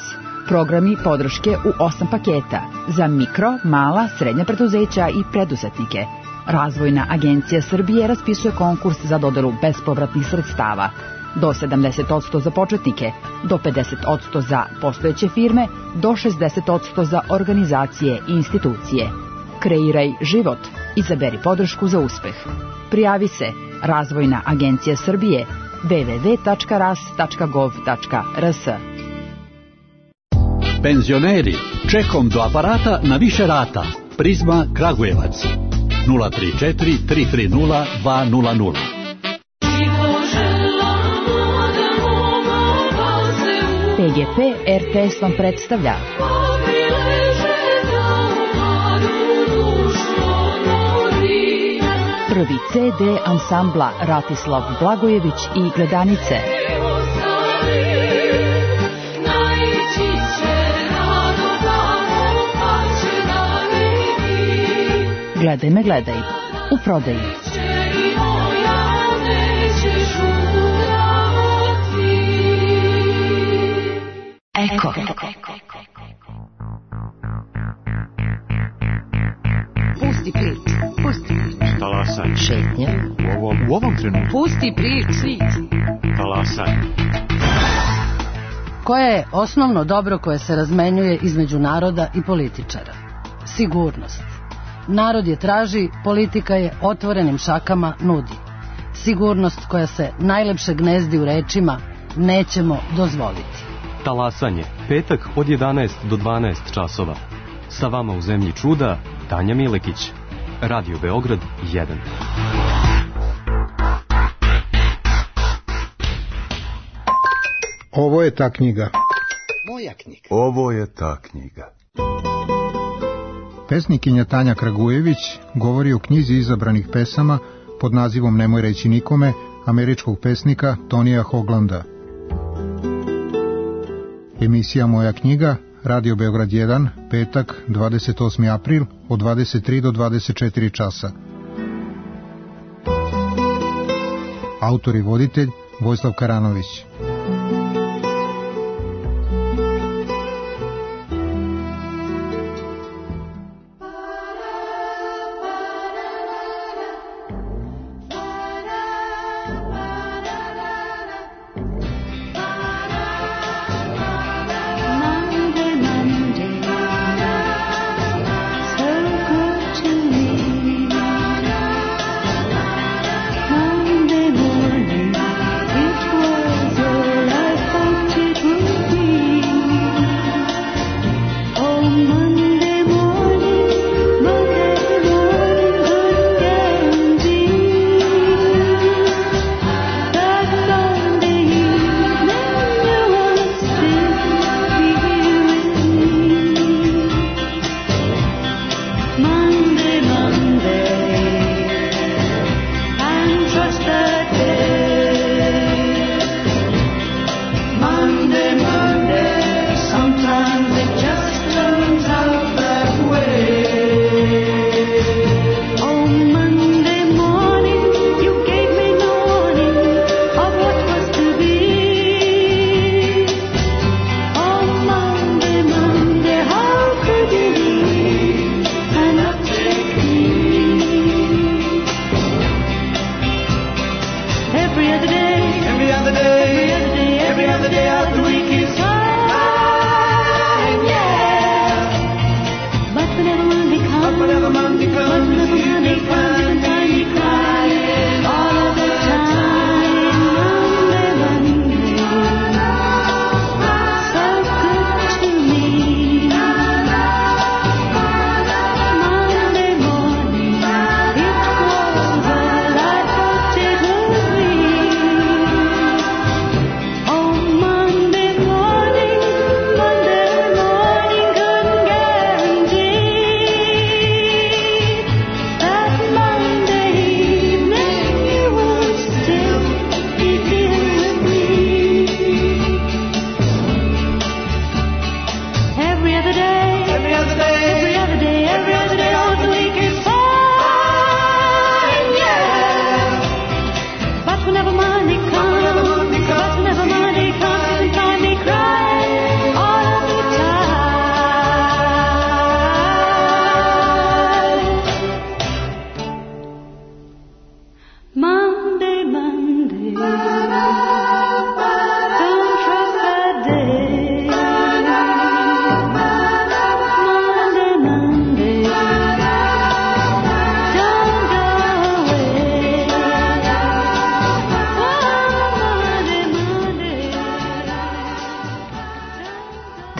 Programi podrške u osam paketa za mikro, mala, srednja preduzeća i preduzetnike. Razvojna agencija Srbije raspisuje konkurs za dodelu bespovratnih sredstava. Do sedamdeset posto za početnike, do pedeset posto za postojeće firme, do šezdeset posto za organizacije i institucije. Kreiraj život. Izaberi podršku za uspeh. Prijavi se Razvojna agencija Srbije w w w tačka ras tačka gov tačka r s. Penzioneri, čekom do aparata na više rata. Prizma Kragujevac. nula tri četiri tri tri nula dva nula nula. P G P er te es vam predstavlja prvi ce de ansambla Ratislav Blagojević i Gledanice. Gledaj me, gledaj. U prodaji. Eko. Pusti prič. Pusti prič. Talasaj. Šetnja. U ovom, u ovom trenutku. Pusti prič. Talasaj. Koje je osnovno dobro koje se razmenjuje između naroda i političara? Sigurnost. Narod je traži, politika je otvorenim šakama nudi. Sigurnost koja se najlepše gnezdi u rečima nećemo dozvoliti. Talasanje, petak od jedanaest do dvanaest časova. Sa vama u zemlji čuda, Tanja Milekić. Radio Beograd jedan. Ovo je ta knjiga. Moja knjiga. Ovo je ta knjiga. Pesnikinja Tanja Kragujević govori o knjizi izabranih pesama pod nazivom Nemoj reći nikome, američkog pesnika Tonija Hoglanda. Emisija Moja knjiga, Radio Beograd jedan, petak, dvadeset osmi april, od dvadeset tri do dvadeset četiri časa. Autor i voditelj Vojislav Karanović.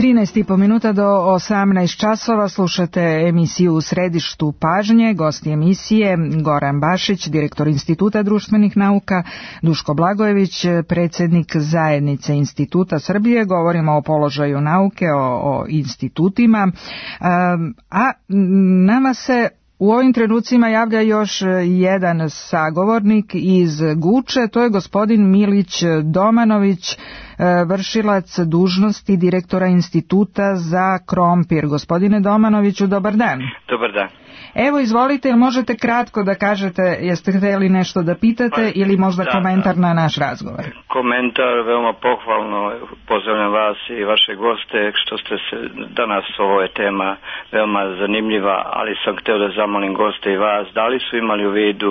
trinaest i po minuta do osamnaest časova slušate emisiju U središtu pažnje. Gosti emisije Goran Bašić, direktor Instituta društvenih nauka, Duško Blagojević, predsjednik Zajednice Instituta Srbije. Govorimo o položaju nauke, o, o institutima. A nama se u ovim trenucima javlja još jedan sagovornik iz Guče, to je gospodin Milić Domanović, vršilac dužnosti direktora Instituta za krompir. Gospodine Domanoviću, dobar dan. Dobar dan. Evo, izvolite, ili možete kratko da kažete, jeste htjeli nešto da pitate pa, ili možda da, komentar da. na naš razgovor? Komentar, veoma pohvalno, pozdravljam vas i vaše goste, što ste se danas, ovo je tema veoma zanimljiva, ali sam htio da zamolim goste i vas, da li su imali u vidu,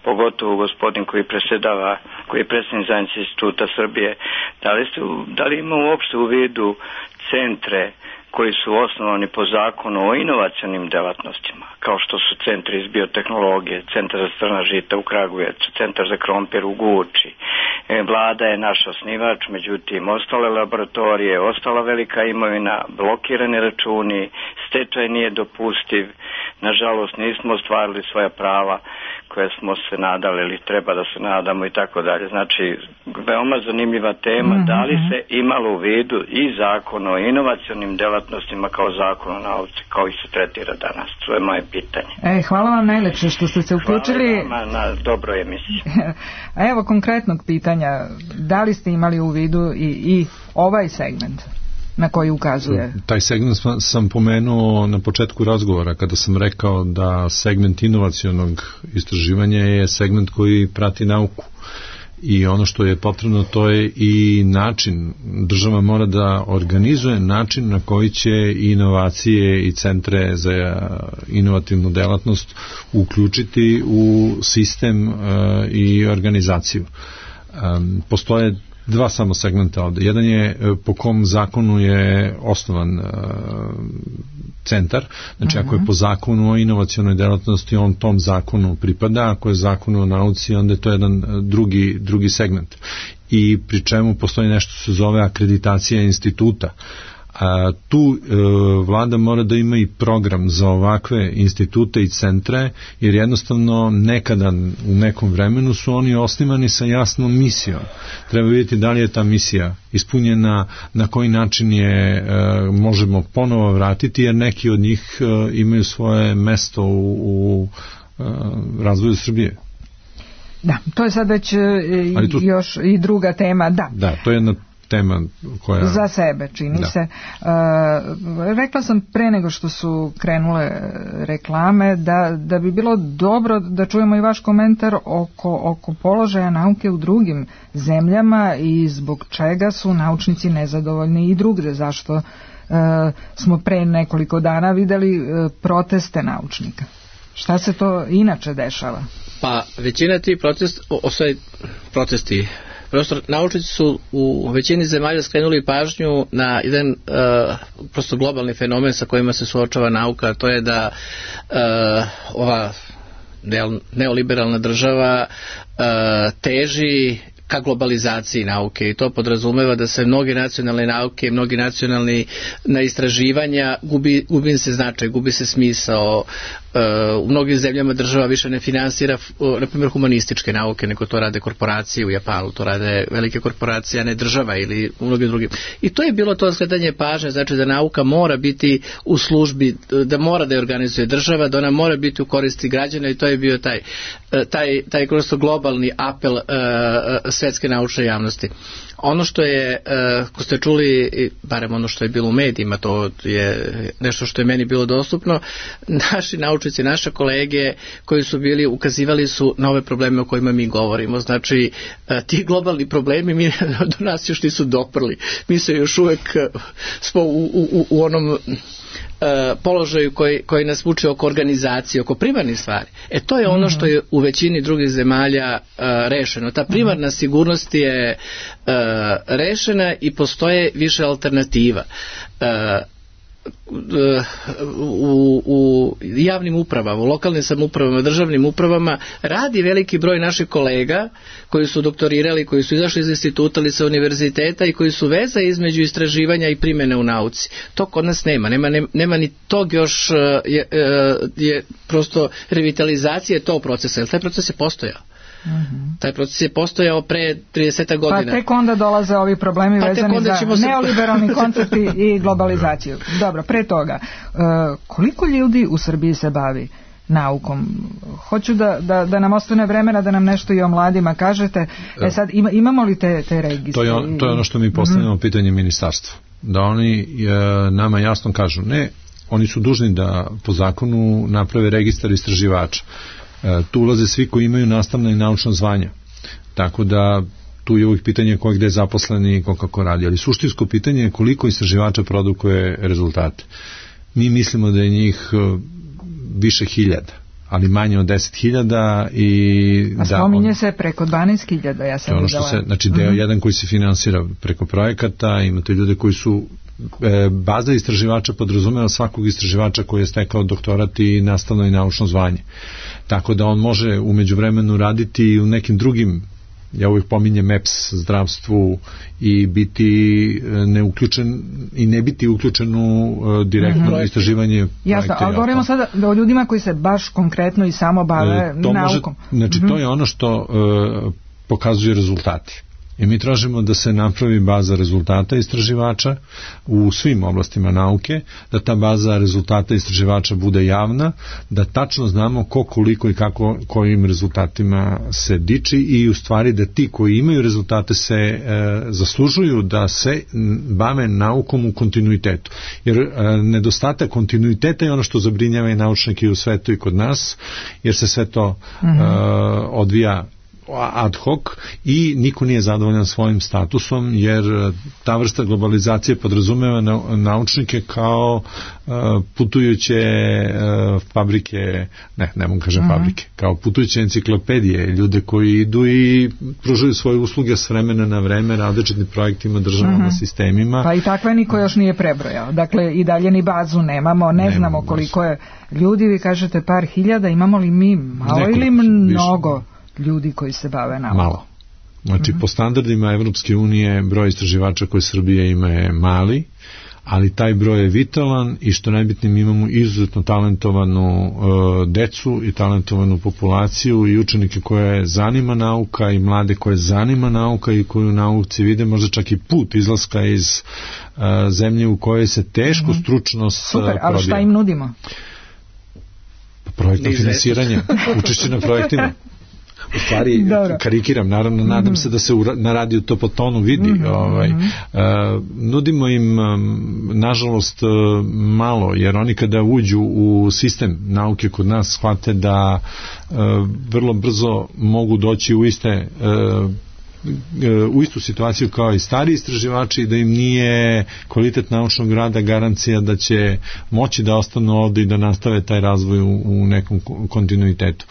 pogotovo gospodin koji predsjedava, koji je predsjednik Zajednice Instituta Srbije, da li, ste, da li ima uopšte u vidu centre koji su osnovani po zakonu o inovacionim delatnostima, kao što su centri iz biotehnologije, centar za strna žita u Kragujevcu, centar za krompir u Guči. E, vlada je naš osnivač, međutim, ostale laboratorije, ostala velika imovina, blokirani računi, stečaj nije dopustiv, nažalost nismo ostvarili svoja prava koje smo se nadali ili treba da se nadamo i tako dalje. Znači, veoma zanimljiva tema, mm-hmm. da li se imalo u vidu i zakon o inovacionim delatnostima kao zakon o nauci, kao i se tretira danas. To je moje pitanje. E, hvala vam najlepše što ste se uključili. Hvala vam na dobroj emisiji. A evo konkretnog pitanja, da li ste imali u vidu i, i ovaj segment na koji ukazuje? Taj segment sam pomenuo na početku razgovora kada sam rekao da segment inovacionog istraživanja je segment koji prati nauku. I ono što je potrebno, to je i način. Država mora da organizuje način na koji će inovacije i centre za inovativnu delatnost uključiti u sistem uh, i organizaciju. Um, postoje dva samo segmenta ovde. Jedan je po kom zakonu je osnovan uh, centar, znači uh-huh. ako je po zakonu o inovacionoj delatnosti, on tom zakonu pripada, ako je zakon o nauci, onda je to jedan drugi, drugi segment. I pri čemu postoji nešto što se zove akreditacija instituta. A tu e, vlada mora da ima i program za ovakve institute i centre, jer jednostavno nekada u nekom vremenu su oni osnivani sa jasnom misijom. Treba vidjeti da li je ta misija ispunjena, na koji način je e, možemo ponovo vratiti, jer neki od njih e, imaju svoje mesto u, u e, razvoju Srbije. Da, to je sad već e, tu, još i druga tema. Da, da to je jedna tema koja... Za sebe, čini da. se. E, rekla sam pre nego što su krenule reklame da, da bi bilo dobro da čujemo i vaš komentar oko, oko položaja nauke u drugim zemljama i zbog čega su naučnici nezadovoljni i drugde. Zašto e, smo pre nekoliko dana videli e, proteste naučnika. Šta se to inače dešava? Pa većina tih protest, osvaj, protesti Prosto, naučnici su u većini zemalja skrenuli pažnju na jedan uh, prosto globalni fenomen sa kojima se suočava nauka, to je da uh, ova neoliberalna država uh, teži ka globalizaciji nauke i to podrazumeva da se mnoge nacionalne nauke, mnogi nacionalni na istraživanja gubi, gubi se značaj, gubi se smisao. U mnogim zemljama država više ne finansira na primjer humanističke nauke, nego to rade korporacije. U Japanu to rade velike korporacije, a ne država ili u mnogim drugim. I to je bilo to skretanje pažnje, znači da nauka mora biti u službi, da mora da je organizuje država, da ona mora biti u koristi građana i to je bio taj taj, taj globalni apel uh, svetske naučne javnosti. Ono što je, uh, ko ste čuli, barem ono što je bilo u medijima, to je nešto što je meni bilo dostupno, naši naučnici, naše kolege koji su bili, ukazivali su na ove probleme o kojima mi govorimo. Znači, uh, ti globalni problemi mi, do nas još nisu doprli. Mi se još uvek uh, smo u, u, u onom Uh, položaju koji, koji nas vuče oko organizacije, oko primarnih stvari. E to je ono što je u većini drugih zemalja uh, rešeno. Ta primarna sigurnost je uh, rešena i postoje više alternativa. Uh, u, u javnim upravama, u lokalnim samoupravama, državnim upravama radi veliki broj naših kolega koji su doktorirali, koji su izašli iz instituta ili sa univerziteta i koji su veza između istraživanja i primjene u nauci. To kod nas nema. Nema, nema, nema ni tog još je, je prosto revitalizacije tog procesa, jer taj proces je postojao. Mm-hmm. Taj proces je postojao pre trideset godina. Pa tek onda dolaze ovi problemi pa vezani za se... neoliberalni koncepti i globalizaciju. Dobro, pre toga, uh, koliko ljudi u Srbiji se bavi naukom? Hoću da, da, da nam ostane vremena da nam nešto i o mladima kažete. E sad, ima, imamo li te, te registre? To je, on, to je ono što mi postavljamo mm-hmm. pitanje ministarstva. Da oni e, nama jasno kažu, ne, oni su dužni da po zakonu naprave registar istraživača. E, tu ulaze svi koji imaju nastavna i naučna zvanja. Tako da tu je uvijek pitanje ko je gde zaposleni i ko kako radi. Ali suštinsko pitanje je koliko istraživača produkuje rezultate. Mi mislimo da je njih više hiljada, ali manje od deset hiljada i... A spominje da, on, se preko dvanaest hiljada, ja sam ono što se, znači deo mm-hmm. jedan koji se finansira preko projekata, imate ljude koji su e, baza istraživača podrazumeva svakog istraživača koji je stekao doktorat i nastavno i naučno zvanje. Tako da on može u međuvremenu raditi i u nekim drugim, ja uvijek pominjem E P S zdravstvu i biti neuključen i ne biti uključen u uh, direktno mm-hmm. istraživanje. Jasno, ali govorimo sada o ljudima koji se baš konkretno i samo bave e, naukom. Može, znači mm-hmm. to je ono što uh, pokazuje rezultati. I mi tražimo da se napravi baza rezultata istraživača u svim oblastima nauke, da ta baza rezultata istraživača bude javna, da tačno znamo ko, koliko i kako, kojim rezultatima se diči i u stvari da ti koji imaju rezultate se e, zaslužuju da se bave naukom u kontinuitetu. Jer e, nedostatak kontinuiteta je ono što zabrinjava i naučnike u svetu i kod nas, jer se sve to mm-hmm. e, odvija ad hoc i niko nije zadovoljan svojim statusom, jer ta vrsta globalizacije podrazumeva na, naučnike kao uh, putujuće uh, fabrike, ne, ne mogu kažem uh-huh. fabrike, kao putujuće enciklopedije, ljude koji idu i pružaju svoje usluge s vremena na vreme različitim projektima, državama, uh-huh. sistemima. Pa i takve niko još nije prebrojao. Dakle, i dalje ni bazu nemamo, ne nemamo znamo koliko je ljudi, vi kažete par hiljada, imamo li mi malo nekoliko, ili mnogo? Više. Ljudi koji se bave naukom. Malo. Znači, mm-hmm. po standardima Evropske unije broj istraživača koje Srbija ima je mali, ali taj broj je vitalan i što najbitnije mi imamo izuzetno talentovanu uh, decu i talentovanu populaciju i učenike koje zanima nauka i mlade koje zanima nauka i koji u nauci vide možda čak i put izlaska iz uh, zemlje u kojoj se teško mm-hmm. stručnost Super, uh, ali šta im nudimo? Projektno finansiranje, učešće na projektima. U stvari, dobro. Karikiram, naravno, nadam mm-hmm. se da se u, na radiju to po tonu vidi. Mm-hmm. Ovaj, uh, nudimo im, um, nažalost, uh, malo, jer oni kada uđu u sistem nauke kod nas shvate da uh, vrlo brzo mogu doći u iste uh, u istu situaciju kao i stari istraživači, da im nije kvalitet naučnog rada garancija da će moći da ostanu ovde i da nastave taj razvoj u, u nekom kontinuitetu.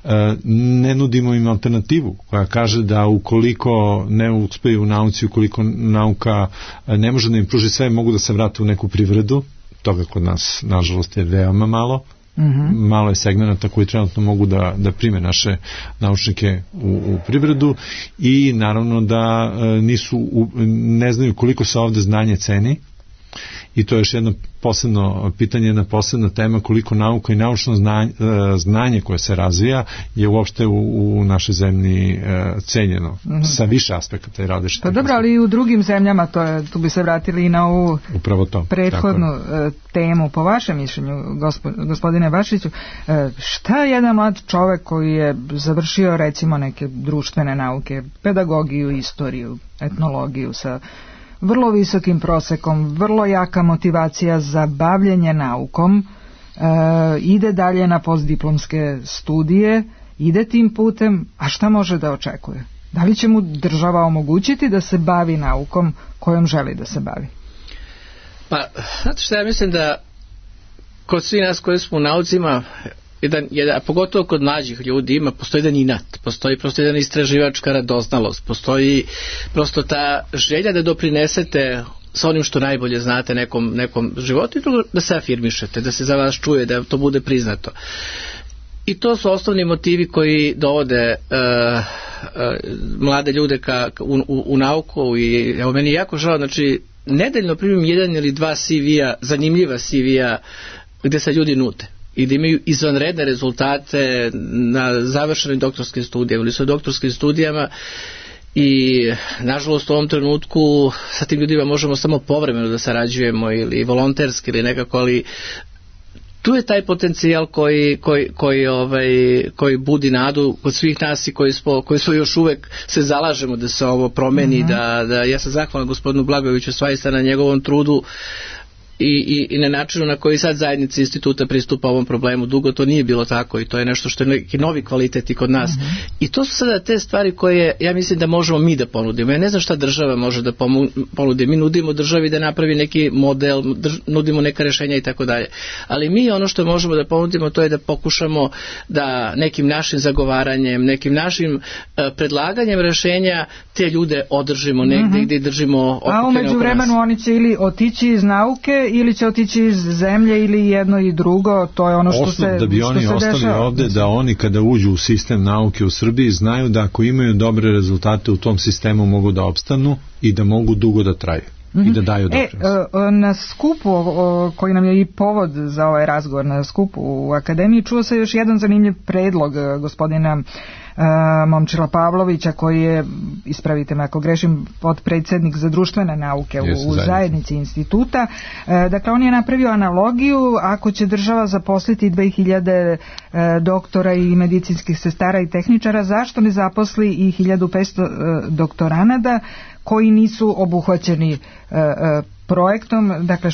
E, ne nudimo im alternativu koja kaže da ukoliko ne uspeju u nauci, ukoliko nauka ne može da im pruži sve, mogu da se vrate u neku privredu. Toga kod nas, nažalost, je veoma malo. Mm-hmm. Malo je segmenata koji trenutno mogu da, da prime naše naučnike u, u privredu i naravno da e, nisu u, ne znaju koliko se ovde znanje ceni i to je još jedno posebno pitanje, jedna posebna tema koliko nauka i naučno znanje, znanje koje se razvija je uopšte u, u našoj zemlji e, cenjeno mm-hmm. sa više aspekata i različitih. Pa dobro, ali i u drugim zemljama to je, tu bi se vratili i na ovu upravo to, prethodnu tako. Temu. Po vašem mišljenju, gospodine Bašiću, šta jedan mlad čovek koji je završio recimo neke društvene nauke, pedagogiju, istoriju, etnologiju sa vrlo visokim prosekom, vrlo jaka motivacija za bavljenje naukom, e, ide dalje na postdiplomske studije, ide tim putem, a šta može da očekuje? Da li će mu država omogućiti da se bavi naukom kojom želi da se bavi? Pa, znate što ja mislim da kod svi nas koji smo u naucima, jedan, jedan, pogotovo kod mlađih ljudi ima, postoji jedan inat, postoji prosto jedan istraživačka radoznalost, postoji prosto ta želja da doprinesete sa onim što najbolje znate nekom, nekom životu i drugo da se afirmišete, da se za vas čuje, da to bude priznato. I to su osnovni motivi koji dovode uh, uh, mlade ljude ka, u, u, u nauku i evo meni je jako žao, znači nedeljno primim jedan ili dva C V-a, zanimljiva C V-a gde se ljudi nude i da imaju izvanredne rezultate na završenim doktorskim studijama ili su doktorskim studijama i nažalost u ovom trenutku sa tim ljudima možemo samo povremeno da sarađujemo ili volonterski ili nekako, ali tu je taj potencijal koji, koji, koji, ovaj, koji budi nadu kod svih nas i koji smo, koji smo još uvek se zalažemo da se ovo promeni, mm-hmm. da, da ja sam zahvalan gospodinu Blagojeviću svaista na njegovom trudu I, i, i na načinu na koji sad zajednica instituta pristupa ovom problemu. Dugo to nije bilo tako i to je nešto što je neki novi kvalitet i kod nas. Mm-hmm. I to su sada te stvari koje ja mislim da možemo mi da ponudimo. Ja ne znam šta država može da ponudi. Mi nudimo državi da napravi neki model, drž, nudimo neka rešenja i tako dalje. Ali mi ono što možemo da ponudimo to je da pokušamo da nekim našim zagovaranjem, nekim našim uh, predlaganjem rešenja te ljude održimo negde mm-hmm. gde držimo okupljene oko nas. A umeđu vremenu oni će ili otići iz nauke ili će otići iz zemlje ili jedno i drugo, to je ono što Osnov, se da bi oni ostali dešava ovde, da oni kada uđu u sistem nauke u Srbiji znaju da ako imaju dobre rezultate u tom sistemu mogu da opstanu i da mogu dugo da traju. Mm-hmm. I da daju doprinos. E, na skupu koji nam je i povod za ovaj razgovor, na skupu u Akademiji, čuo se još jedan zanimljiv predlog gospodina Momčila Pavlovića, koji je, ispravite me ako grešim, potpredsednik za društvene nauke u, u zajednici instituta. Dakle, on je napravio analogiju, ako će država zaposliti dve hiljade doktora i medicinskih sestara i tehničara, zašto ne zaposli i hiljadu petsto doktoranada koji nisu obuhvaćeni projektom? Dakle,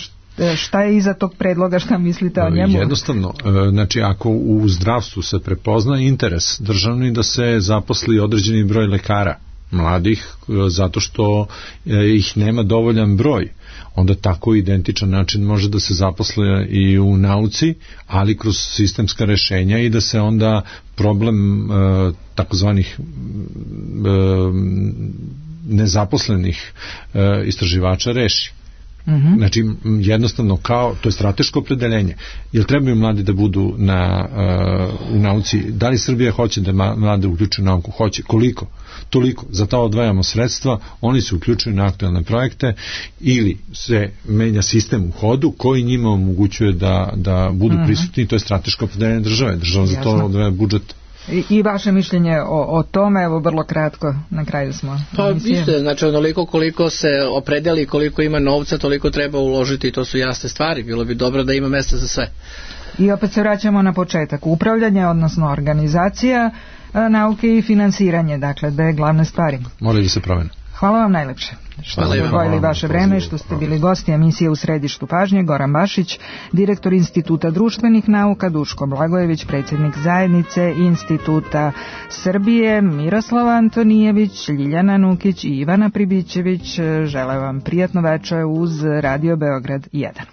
šta je iza tog predloga, šta mislite o njemu? Jednostavno, znači ako u zdravstvu se prepozna interes državni da se zaposli određeni broj lekara mladih, zato što ih nema dovoljan broj, onda tako identičan način može da se zaposle i u nauci, ali kroz sistemska rešenja i da se onda problem e, takozvanih e, nezaposlenih e, istraživača reši. Mm-hmm. Znači, jednostavno kao, to je strateško opredeljenje. Jel trebaju mladi da budu na, uh, u nauci? Da li Srbija hoće da mlade uključuju nauku? Hoće. Koliko? Toliko. Za to odvajamo sredstva, oni se uključuju na aktualne projekte ili se menja sistem u hodu koji njima omogućuje da, da budu mm-hmm. prisutni. To je strateško opredeljenje države. Država za to odvaja budžet. I, I vaše mišljenje o, o tome, evo vrlo kratko, na kraju smo. Pa isto, znači onoliko koliko se opredeli, koliko ima novca, toliko treba uložiti i to su jasne stvari. Bilo bi dobro da ima mesta za sve. I opet se vraćamo na početak. Upravljanje, odnosno organizacija nauke i finansiranje, dakle, dve glavne stvari. Moraju da se promene. Hvala vam najlepše što ste odvojili vaše vreme, što ste bili gosti emisije U središtu pažnje. Goran Bašić, direktor Instituta društvenih nauka, Duško Blagojević, predsjednik zajednice Instituta Srbije, Miroslava Antonijević, Ljiljana Nukić i Ivana Pribićević. Žele vam prijatno večer uz Radio Beograd jedan.